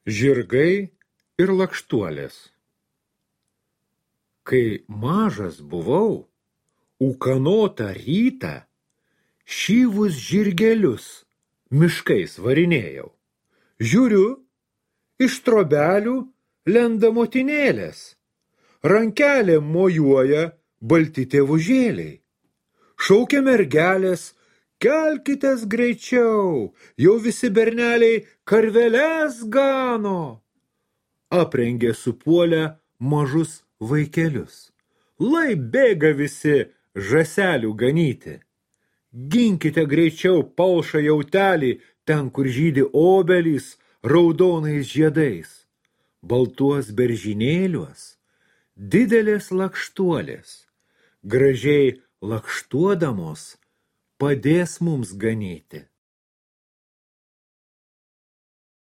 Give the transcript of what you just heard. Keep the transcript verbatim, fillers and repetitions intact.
Žirgai ir lakštuolės. Kai mažas buvau, ūkanotą rytą šyvus žirgelius miškais varinėjau. Žiūriu, iš trobelių lenda motinėlės, rankelėm mojuoja balti tėvužėliai. Šaukia mergelės, kelkitės greičiau, jau visi berneliai karveles gano. Aprengė supuolę mažus vaikelius. Lai bėga visi žąselių ganyti. Ginkite greičiau palšą jautelį ten, kur žydi obelys raudonais žiedais. Baltuos beržinėliuos didelės lakštuolės, gražiai lakštuodamos padės mums ganyti.